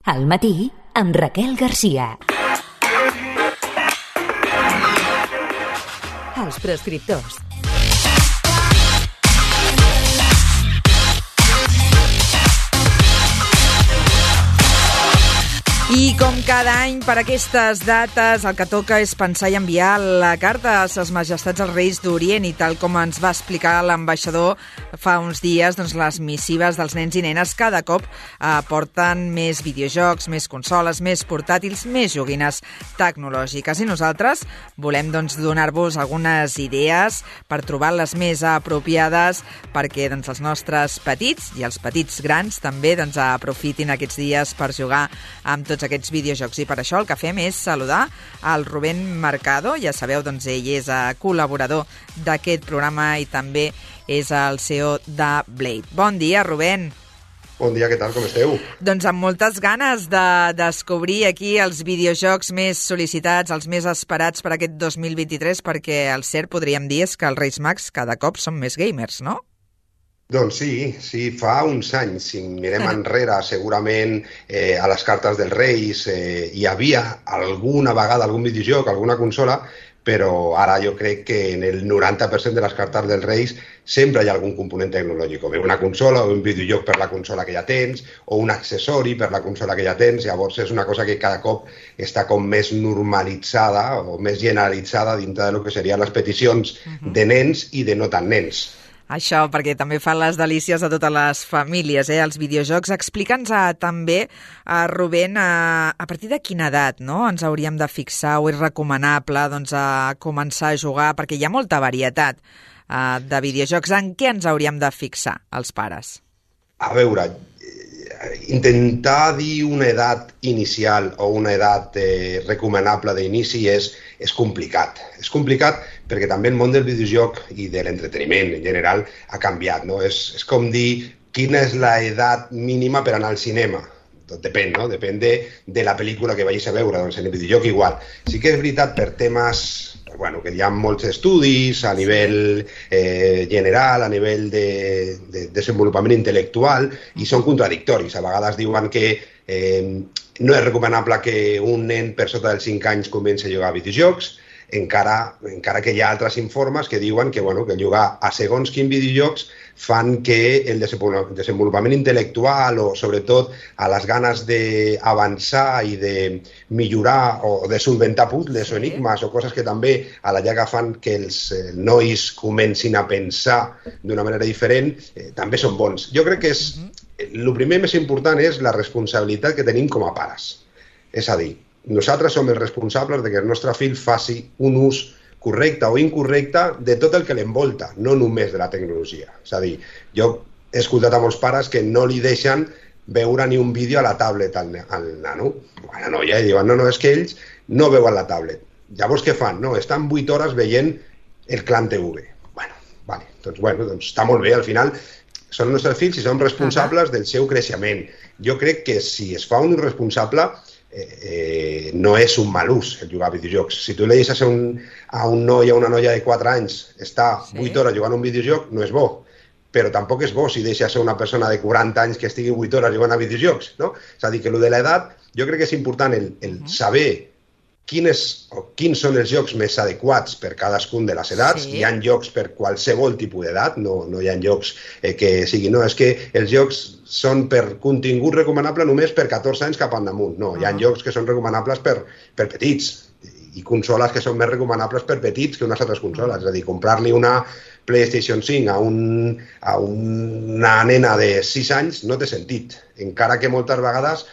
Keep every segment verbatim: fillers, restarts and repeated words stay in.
Al matí, amb Raquel Garcia. Els prescriptors. I com cada any, per aquestes dates, el que toca és pensar i enviar la carta a ses majestats els Reis d'Orient, i tal com ens va explicar l'ambaixador fa uns dies, doncs les missives dels nens i nenes cada cop eh, porten més videojocs, més consoles, més portàtils, més joguines tecnològiques. I nosaltres volem doncs, donar-vos algunes idees per trobar-les més apropiades perquè doncs, els nostres petits i els petits grans també doncs, aprofitin aquests dies per jugar amb tots aquests videojocs. I per això el que fem és saludar al Rubén Mercado. Ja sabeu, doncs ell és col·laborador d'aquest programa i també és el C E O de Blade. Bon dia, Rubén. Bon dia, què tal, com esteu? Doncs amb moltes ganes de descobrir aquí els videojocs més sol·licitats, els més esperats per aquest dos mil vint-i-tres, perquè el cert podríem dir és que els Reis Mags cada cop són més gamers, no? Doncs sí, sí, fa uns anys, si mirem enrere, segurament eh, a les cartes dels Reis eh, hi havia alguna vegada algun videojoc, alguna consola, però ara jo crec que en el noranta per cent de les cartes dels Reis sempre hi ha algun component tecnològic, o bé una consola, o un videojoc per la consola que ja tens, o un accessori per la consola que ja tens. Llavors és una cosa que cada cop està com més normalitzada o més generalitzada dintre de lo que serien les peticions uh-huh. de nens i de no tan nens. Això, perquè també fan les delícies a totes les famílies, eh? Els videojocs. Explica'ns uh, també, uh, Rubén, uh, a partir de quina edat no? ens hauríem de fixar o és recomanable doncs, uh, començar a jugar, perquè hi ha molta varietat uh, de videojocs. En què ens hauríem de fixar, els pares? A veure, intentar dir una edat inicial o una edat eh, recomanable d'inici és, és complicat. És complicat perquè també el món del videojoc i de l'entreteniment en general ha canviat, no? És, és com dir quina és l'edat mínima per anar al cinema. Tot depèn, no? Depèn de, de la pel·lícula que vagis a veure, doncs en el videojoc igual. Sí que és veritat per temes, bueno, que hi ha molts estudis a nivell eh, general, a nivell de, de desenvolupament intel·lectual, i són contradictoris. A vegades diuen que eh, no és recomanable que un nen per sota dels cinc anys comenci a jugar a videojocs, encara, encara que hi ha altres informes que diuen que, bueno, que jugar a segons quins videojocs fan que el desenvolupament intel·lectual o, sobretot, a les ganes d'avançar i de millorar o de solventar puzzles o enigmes o coses que també a la llarga fan que els nois comencin a pensar d'una manera diferent, eh, també són bons. Jo crec que és, el primer més important és la responsabilitat que tenim com a pares. És a dir, nosaltres som els responsables de que el nostre fill faci un ús correcte o incorrecte de tot el que l'envolta, no només de la tecnologia. És a dir, jo he escoltat a molts pares que no li deixen veure ni un vídeo a la tablet al, al nano, o a la noia, i diuen, no, no, és que ells no veuen la tablet. Llavors què fan? No, estan vuit hores veient el Clan T V. Bueno, vale, doncs, bueno, doncs està molt bé, al final són els nostres fills i són responsables del seu creixement. Jo crec que si es fa un responsable, Eh, eh, no és un mal ús el jugar a videojocs. Si tu li deixes a un, a un noi o una noia de quatre anys estar sí. vuit hores jugant a un videojoc, no és bo. Però tampoc és bo si deixes a una persona de quaranta anys que estigui vuit hores jugant a videojocs, no? És a dir, que el de l'edat, jo crec que és important el, el uh-huh. saber quines, o quins són els jocs més adequats per cadascun de les edats. Sí. Hi ha jocs per qualsevol tipus d'edat, no, no hi ha jocs eh, que siguin... No, és que els jocs són per contingut recomanable només per catorze anys cap endamunt. No, hi ha uh-huh. jocs que són recomanables per, per petits i consoles que són més recomanables per petits que unes altres consoles. És a dir, comprar-li una PlayStation cinc a, un, a una nena de sis anys no té sentit. Encara que moltes vegades,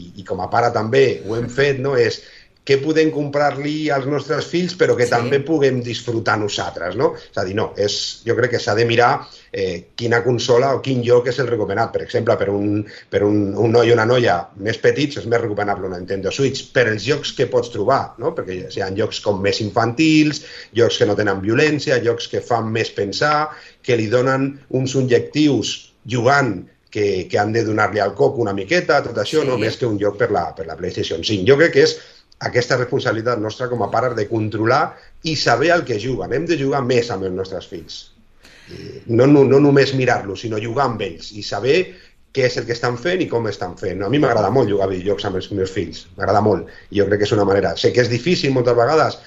i, i com a pare també ho hem fet, no, és què podem comprar-li als nostres fills però que sí. també puguem disfrutar nosaltres, no? És a dir, no, és, jo crec que s'ha de mirar eh, quina consola o quin joc és el recomanat. Per exemple, per un, per un, un noi o una noia més petits és més recomanable una Nintendo Switch per els jocs que pots trobar, no? Perquè hi ha jocs com més infantils, jocs que no tenen violència, jocs que fan més pensar, que li donen uns objectius jugant que, que han de donar-li al cop una miqueta, tot això, sí. no més que un joc per la, per la PlayStation cinc. Jo crec que és aquesta responsabilitat nostra com a pares de controlar i saber el que juguen. Hem de jugar més amb els nostres fills. No, no, no només mirar-los, sinó jugar amb ells i saber què és el que estan fent i com estan fent. A mi m'agrada molt jugar a videojocs amb els meus fills, m'agrada molt, i jo crec que és una manera. Sé que és difícil moltes vegades,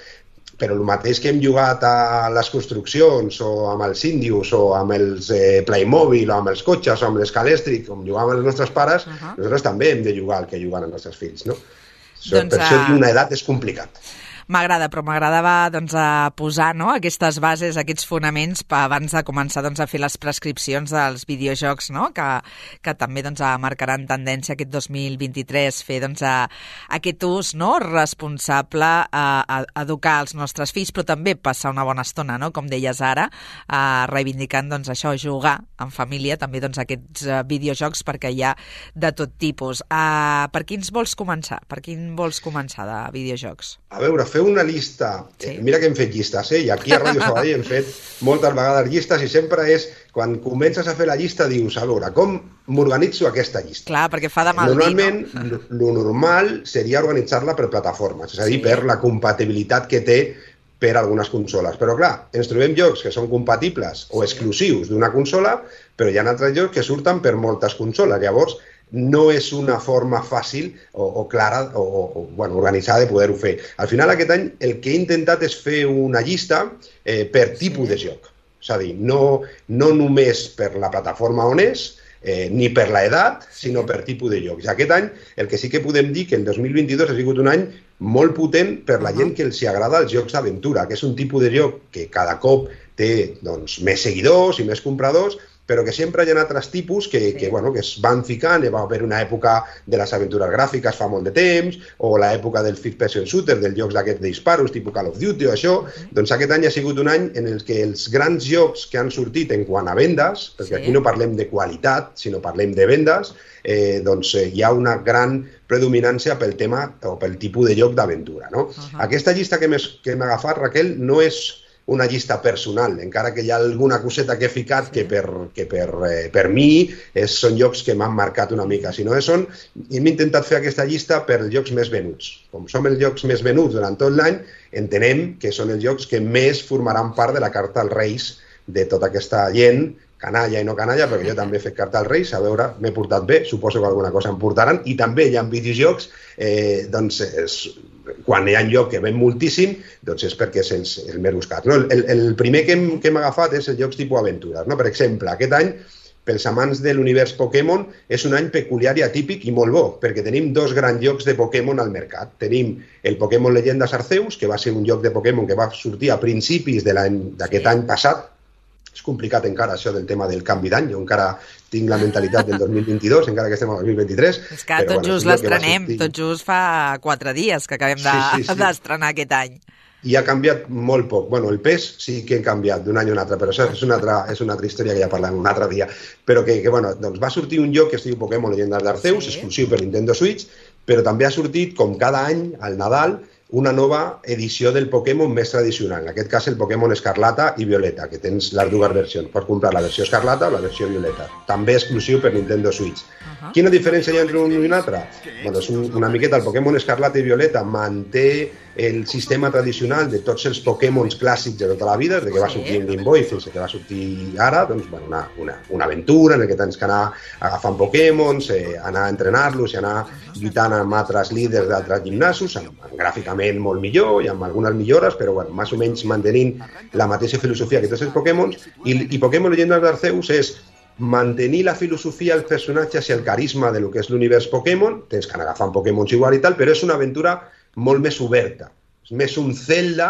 però el mateix que hem jugat a les construccions o amb els índios o amb els eh, Playmobil o amb els cotxes o amb l'escalèstric, com jugàvem els nostres pares, uh -huh. nosaltres també hem de jugar el que juguen els nostres fills, no? Doncs, per això dir una edat és complicat. M'agrada, però m'agradava doncs, a posar no, aquestes bases, aquests fonaments per abans de començar doncs, a fer les prescripcions dels videojocs, no? que, que també doncs, marcaran tendència aquest dos mil vint-i-tres, fer doncs, a, aquest ús no, responsable a, a educar els nostres fills, però també passar una bona estona, no? Com deies ara, a, reivindicant doncs, això, jugar en família, també doncs, aquests uh, videojocs, perquè hi ha de tot tipus. Uh, per quins vols començar? Per quin vols començar de videojocs? A veure, fer una llista, sí. eh, mira que hem fet llistes, eh? I aquí a Ràdio Sabadell hem fet moltes vegades llistes i sempre és, quan comences a fer la llista, dius, a veure, com m'organitzo aquesta llista? Clar, perquè fa de mal Normalment, dir, no? lo normal seria organitzar-la per plataformes, és a dir, sí. per la compatibilitat que té per algunes consoles. Però clar, ens trobem jocs que són compatibles o exclusius d'una consola, però hi ha altres jocs que surten per moltes consoles. Llavors, no és una forma fàcil o, o clara o, o bueno, organitzada de poder-ho fer. Al final, aquest any, el que he intentat és fer una llista eh, per tipus sí. de joc. És a dir, no, no només per la plataforma on és, eh, ni per l'edat, sinó per tipus de jocs. I aquest any, el que sí que podem dir que el dos mil vint-i-dos ha sigut un any molt potent per la gent que els agrada els jocs d'aventura, que és un tipus de joc que cada cop té doncs, més seguidors i més compradors, però que sempre hi ha altres tipus que, que, bueno, que es van ficant. Va haver una època de les aventures gràfiques fa molt de temps, o l'època del first person shooter, dels jocs d'aquests de disparos, tipus Call of Duty o això. Uh-huh. Doncs aquest any ha sigut un any en el que els grans jocs que han sortit en quant a vendes, perquè sí. aquí no parlem de qualitat, sinó parlem de vendes, eh, doncs eh, hi ha una gran predominància pel tema o pel tipus de joc d'aventura, no? Uh-huh. Aquesta llista que hem agafat, Raquel, no és una llista personal, encara que hi ha alguna coseta que he ficat que per, que per, eh, per mi és, són jocs que m'han marcat una mica, sinó que són, hem intentat fer aquesta llista per els jocs més venuts. Com som els jocs més venuts durant tot l'any, entenem que són els jocs que més formaran part de la carta als Reis de tota aquesta gent, canalla i no canalla, perquè jo també he fet carta als Reis, a veure, m'he portat bé, suposo que alguna cosa em portaran, i també hi ha videojocs, eh, doncs, és, quan hi ha un joc que ven moltíssim, doncs és perquè és el, el més buscat. No? El, el primer que hem, que hem agafat és els jocs tipus aventures. No? Per exemple, aquest any, pels amants de l'univers Pokémon, és un any peculiar i atípic i molt bo, perquè tenim dos grans jocs de Pokémon al mercat. Tenim el Pokémon Leyendas Arceus, que va ser un joc de Pokémon que va sortir a principis d'aquest any passat. És complicat encara això del tema del canvi d'any, jo encara tinc la mentalitat del dos mil vint-i-dos, encara que estem al dos mil vint-i-tres. És que tot just l'estrenem, tot just fa quatre dies que acabem d'estrenar aquest any. I ha canviat molt poc. Bueno, el pes sí que ha canviat d'un any a un altre, però això és una altra, és una altra història que ja parlem un altre dia. Però que, que bueno, doncs va sortir un joc que es diu Pokémon Leyendas d'Arceus, sí. exclusiu per Nintendo Switch, però també ha sortit, com cada any, al Nadal, una nova edició del Pokémon més tradicional. En aquest cas, el Pokémon Escarlata i Violeta, que tens les dues versions. Pots comprar la versió Escarlata o la versió Violeta. També exclusiu per Nintendo Switch. Uh-huh. Quina diferència hi ha entre un i un altre? Bueno, és un, una miqueta, el Pokémon Escarlata i Violeta manté el sistema tradicional de tots els Pokémons clàssics de tota la vida, des que va sortir en Game Boy fins que va sortir ara, doncs, bueno, una, una, una aventura en què tens que anar agafant Pokémons, eh, anar a entrenar-los i anar lluitant amb altres líders d'altres gimnasos, amb, amb gràficament molt millor i amb algunes millores, però bueno, més o menys mantenint la mateixa filosofia que tots els Pokémons. I, i Pokémon Leyendas d'Arceus és mantenir la filosofia, els personatges i el carisma de lo que és l'univers Pokémon, tens que anar agafant Pokémons igual i tal, però és una aventura molt més oberta. És més un Zelda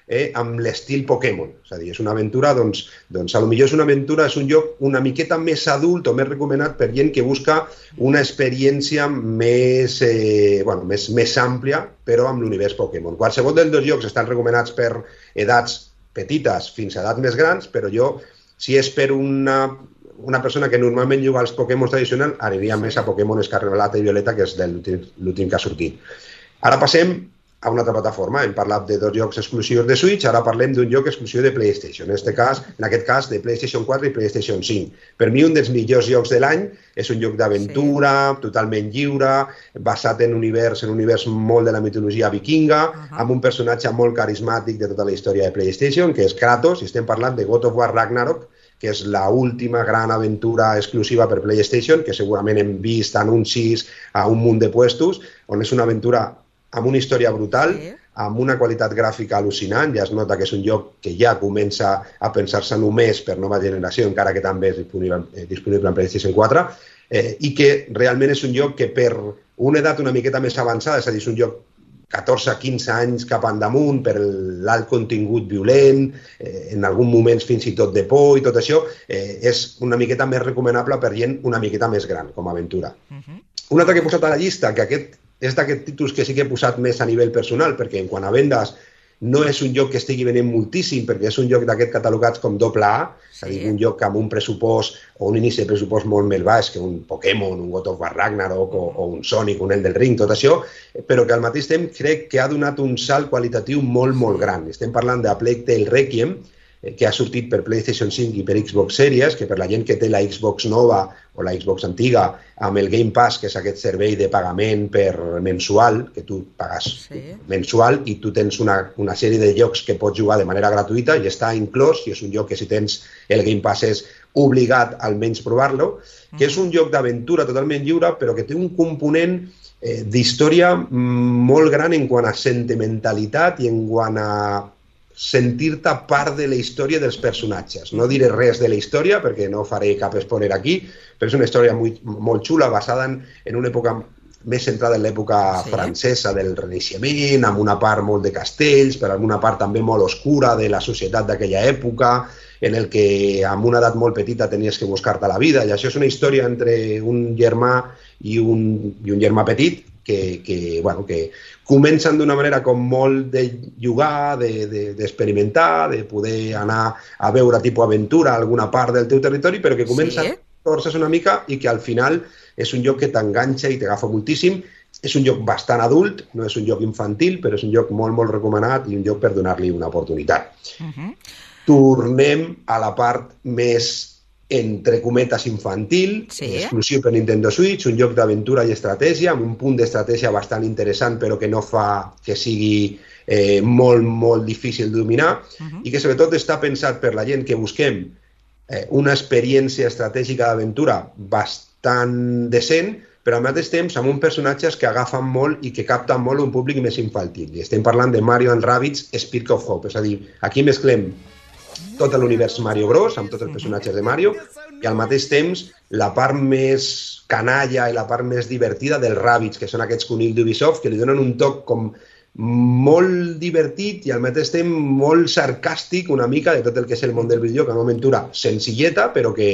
eh, amb l'estil Pokémon. És a dir, és una aventura, doncs, doncs a lo millor és una aventura, és un joc una miqueta més adult o més recomanat per gent que busca una experiència més, eh, bueno, més, més àmplia, però amb l'univers Pokémon. Qualsevol dels dos jocs estan recomanats per edats petites fins a edats més grans, però jo, si és per una... una persona que normalment juga als Pokémon tradicionals, aniria més a Pokémon Escarlata i Violeta, que és l'últim que ha sortit. Ara passem a una altra plataforma. Hem parlat de dos jocs exclusius de Switch, ara parlem d'un joc exclusiu de PlayStation. En aquest cas, en aquest cas de PlayStation quatre i PlayStation cinc. Per mi, un dels millors jocs de l'any és un joc d'aventura, sí. totalment lliure, basat en un univers, en un univers molt de la mitologia vikinga, uh-huh. amb un personatge molt carismàtic de tota la història de PlayStation, que és Kratos, i estem parlant de God of War Ragnarok, que és l'última gran aventura exclusiva per PlayStation, que segurament hem vist anuncis a un munt de puestos, on és una aventura amb una història brutal, sí, amb una qualitat gràfica al·lucinant. Ja es nota que és un joc que ja comença a pensar-se només per nova generació, encara que també és disponible, eh, disponible en PlayStation quatre, eh, i que realment és un joc que per una edat una miqueta més avançada, és a dir, és un joc catorze a quinze anys cap endamunt, per l'alt contingut violent, eh, en alguns moments fins i tot de por i tot això, eh, és una miqueta més recomanable per gent una miqueta més gran com a aventura. Uh-huh. Un altre que he posat a la llista, que aquest és d'aquests títols que sí que he posat més a nivell personal, perquè en quant a vendes no és un joc que estigui venent moltíssim, perquè és un joc d'aquests catalogats com doble A, sí, és a dir, un joc amb un pressupost o un inici de pressupost molt més baix que un Pokémon, un God of War Ragnarok o, o un Sonic, un Elden Ring, tot això, però que al mateix temps crec que ha donat un salt qualitatiu molt, molt gran. Estem parlant de A Plague Tale Requiem, que ha sortit per PlayStation cinc i per Xbox Series, que per la gent que té la Xbox nova o la Xbox antiga, amb el Game Pass, que és aquest servei de pagament per mensual, que tu pagues sí. mensual i tu tens una, una sèrie de jocs que pots jugar de manera gratuïta i està inclòs, i és un joc que si tens el Game Pass és obligat almenys provar-lo, que és un joc d'aventura totalment lliure, però que té un component eh, d'història molt gran en quant a sentimentalitat i en quant a sentir-te part de la història dels personatges. No diré res de la història perquè no faré cap spoiler aquí, però és una història molt, molt xula, basada en, en una època més centrada en l'època sí. francesa del Renaixement, amb una part molt de castells, però amb una part també molt oscura de la societat d'aquella època, en el que amb una edat molt petita tenies que buscar-te la vida, i això és una història entre un germà i un, i un germà petit, que, que, bueno, que comencen d'una manera com molt de jugar, d'experimentar, de, de, de poder anar a veure tipus aventura a alguna part del teu territori, però que comença sí. a torcer una mica i que al final és un joc que t'enganxa i t'agafa moltíssim. És un joc bastant adult, no és un joc infantil, però és un joc molt, molt recomanat i un joc per donar-li una oportunitat. Uh-huh. Tornem a la part més entre cometes infantil, sí. exclusiu per Nintendo Switch, un joc d'aventura i estratègia, amb un punt d'estratègia bastant interessant, però que no fa que sigui eh, molt, molt difícil de dominar, uh-huh. i que sobretot està pensat per la gent que busquem eh, una experiència estratègica d'aventura bastant decent, però al mateix temps amb uns personatges que agafen molt i que capten molt un públic més infantil. I estem parlant de Mario and Rabbids Spark of Hope, és a dir, aquí mesclem tot l'univers Mario Bros, amb tots els personatges de Mario, i al mateix temps la part més canalla i la part més divertida dels Rabbids, que són aquests conills d'Ubisoft, que li donen un toc com molt divertit i al mateix temps molt sarcàstic una mica de tot el que és el món del videojoc, una aventura senzilleta, però que,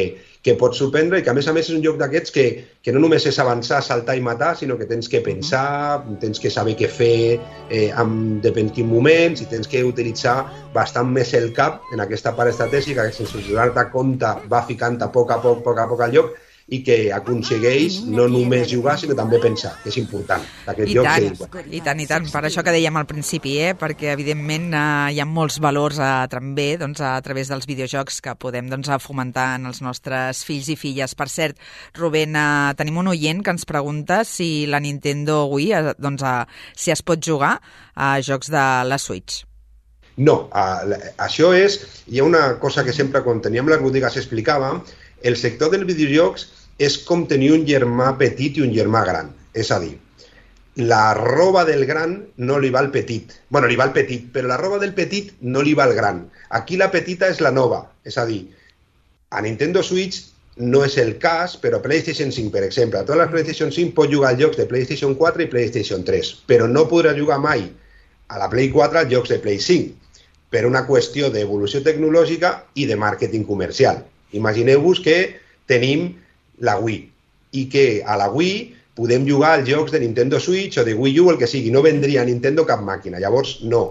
que pot sorprendre i que a més a més és un joc d'aquests que, que no només és avançar, saltar i matar, sinó que tens que pensar, tens que saber què fer eh, en depèn quin moments i tens que utilitzar bastant més el cap en aquesta part estratègica que sense donar-te compte va ficant a poc a poc, poc a poc al lloc i que aconsegueix no només jugar, sinó també pensar, que és important. I tant, i tant, i tant. Per això que dèiem al principi, eh? Perquè evidentment eh, hi ha molts valors eh, també doncs, a través dels videojocs que podem doncs, fomentar en els nostres fills i filles. Per cert, Rubén, eh, tenim un oient que ens pregunta si la Nintendo Wii, eh, doncs, eh, si es pot jugar a jocs de la Switch. No, uh, això és... Hi ha una cosa que sempre quan teníem les botigues explicava. El sector dels videojocs és com tenir un germà petit i un germà gran. És a dir, la roba del gran no li va al petit. Bueno, li va al petit, però la roba del petit no li va al gran. Aquí la petita és la nova. És a dir, a Nintendo Switch no és el cas, però PlayStation cinc, per exemple, a totes les PlayStation cinc pot jugar als jocs de PlayStation quatre i PlayStation tres, però no podrà jugar mai a la Play quatre als jocs de Play cinc, per una qüestió d'evolució tecnològica i de màrqueting comercial. Imagineu-vos que tenim la Wii i que a la Wii podem jugar als jocs de Nintendo Switch o de Wii U, el que sigui. No vendria a Nintendo cap màquina. Llavors, no.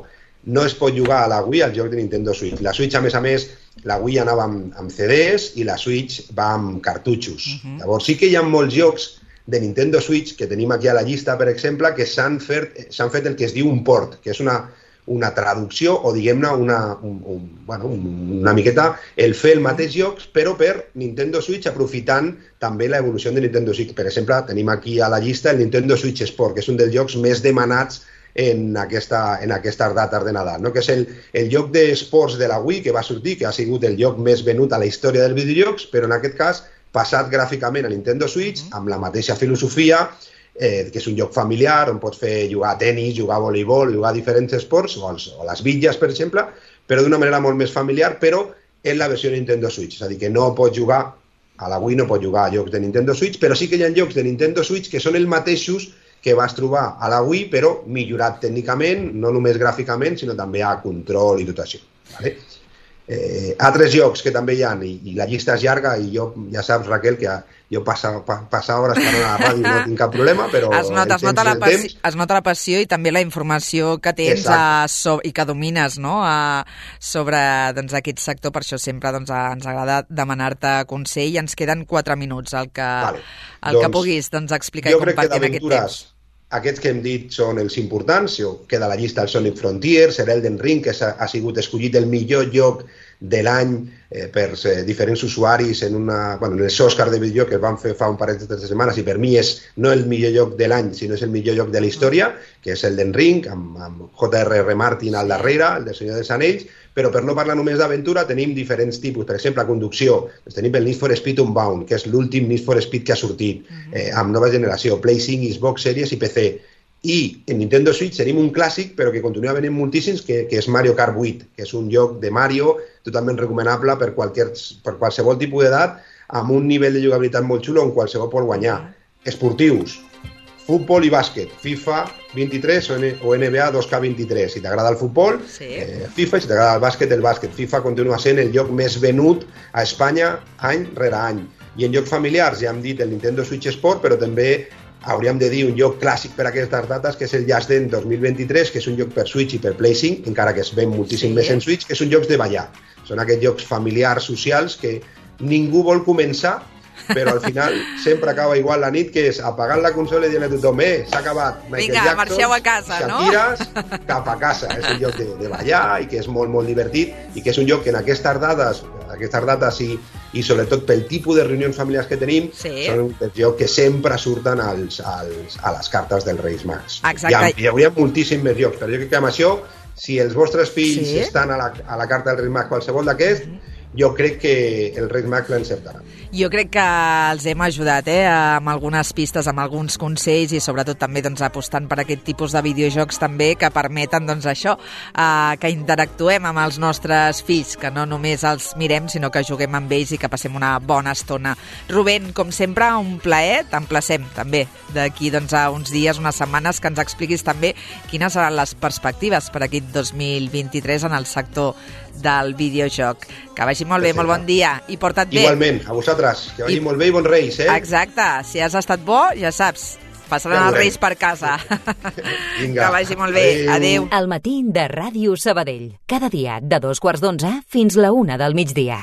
No es pot jugar a la Wii als jocs de Nintendo Switch. La Switch, a més a més, la Wii anava amb, amb C Ds i la Switch va amb cartutxos. Uh-huh. Llavors, sí que hi ha molts jocs de Nintendo Switch que tenim aquí a la llista, per exemple, que s'han fet, s'han fet el que es diu un port, que és una... una traducció o, diguem-ne, una, un, un, bueno, una miqueta el fer el mateix jocs, però per Nintendo Switch, aprofitant també l'evolució de Nintendo Switch. Per exemple, tenim aquí a la llista el Nintendo Switch Sport, que és un dels jocs més demanats en, aquesta, en aquestes dates de Nadal, no? Que és el, el joc d'esports de la Wii que va sortir, que ha sigut el joc més venut a la història dels videojocs, però en aquest cas passat gràficament a Nintendo Switch, amb la mateixa filosofia, eh, que és un joc familiar on pots fer jugar a tenis, jugar a voleibol, jugar a diferents esports, o, els, o les bitlles, per exemple, però d'una manera molt més familiar, però en la versió de Nintendo Switch. És a dir, que no pots jugar a la Wii, no pots jugar a jocs de Nintendo Switch, però sí que hi ha jocs de Nintendo Switch que són els mateixos que vas trobar a la Wii, però millorat tècnicament, no només gràficament, sinó també a control i tot això. Vale? Eh, altres jocs que també hi ha, i, i la llista és llarga, i jo, ja saps, Raquel, que jo passa, pa, passa hores parlant a la ràdio no tinc cap problema, però es nota, es nota, la passió, es nota la passió i també la informació que tens a, so, i que domines, no? a, sobre doncs, aquest sector. Per això sempre doncs, a, ens agrada demanar-te consell, i ens queden quatre minuts, el que, vale. el doncs, que puguis doncs, explicar i compartir en aquest temps. Aquests que hem dit són els importants, queda a la llista el Sonic Frontiers, l'Elden Ring, que ha, ha sigut escollit el millor joc de l'any eh, per eh, diferents usuaris en, una, bueno, en els Oscars de videojoc que es van fer fa un parell de setmanes, i per mi és no el millor joc de l'any, sinó és el millor joc de la història, que és Elden Ring, amb, amb J R R Martin al darrere, el del Senyor dels Anells, però per no parlar només d'aventura tenim diferents tipus. Per exemple, a conducció, doncs tenim el Need for Speed Unbound, que és l'últim Need for Speed que ha sortit, eh, amb nova generació, Play cinc, Xbox Series i P C. I en Nintendo Switch tenim un clàssic, però que continua venint moltíssims, que, que és Mario Kart vuit, que és un joc de Mario totalment recomanable per, qualsevol, per qualsevol tipus d'edat, amb un nivell de jugabilitat molt xulo on qualsevol pot guanyar. Esportius, futbol i bàsquet, FIFA vint-i-tres o, o N B A dos K vint-i-tres. Si t'agrada el futbol, sí. eh, FIFA, i si t'agrada el bàsquet, el bàsquet. FIFA continua sent el joc més venut a Espanya any rere any. I en jocs familiars ja hem dit el Nintendo Switch Sport, però també hauríem de dir un joc clàssic per a aquestes dates, que és el Just Dance dos mil vint-i-tres, que és un joc per Switch i per Play cinc, encara que es ven moltíssim sí. més en Switch, que són jocs de ballar. Són aquests jocs familiars, socials, que ningú vol començar, però al final sempre acaba igual la nit, que és apagant la consola i dient a tothom, eh, s'ha acabat, Michael Vinga, Jackson, marxeu a casa, Shakiras, no? Cap a casa. És un joc de, de ballar i que és molt, molt divertit, i que és un joc que en aquestes dades, aquestes dates i, i sobretot pel tipus de reunions familiars que tenim, sí. són un joc que sempre surten als, als, a les cartes dels Reis Mags. Exacte. Hi, ha, hi hauria moltíssims més jocs, però jo crec que amb això, si els vostres fills sí. estan a la, a la carta dels Reis Mags, qualsevol d'aquests, mm-hmm. jo crec que el Reis Mag l'encertarà. Jo crec que els hem ajudat eh, amb algunes pistes, amb alguns consells, i sobretot també doncs, apostant per aquest tipus de videojocs també que permeten doncs, això, eh, que interactuem amb els nostres fills, que no només els mirem, sinó que juguem amb ells i que passem una bona estona. Rubén, com sempre, un plaer. T'emplacem també d'aquí doncs, a uns dies, unes setmanes, que ens expliquis també quines seran les perspectives per aquest dos mil vint-i-tres en el sector del videojoc. Que vagi molt bé, molt bon dia i porta't bé. Igualment, a vosaltres, que vagi I... molt bé i bons Reis, eh? Exacte, si has estat bo, ja saps, passaran ja els Reis per casa. Vinga. Que vagi molt bé, adéu. El matí de Ràdio Sabadell, cada dia de dos quarts d'onze fins la una del migdia.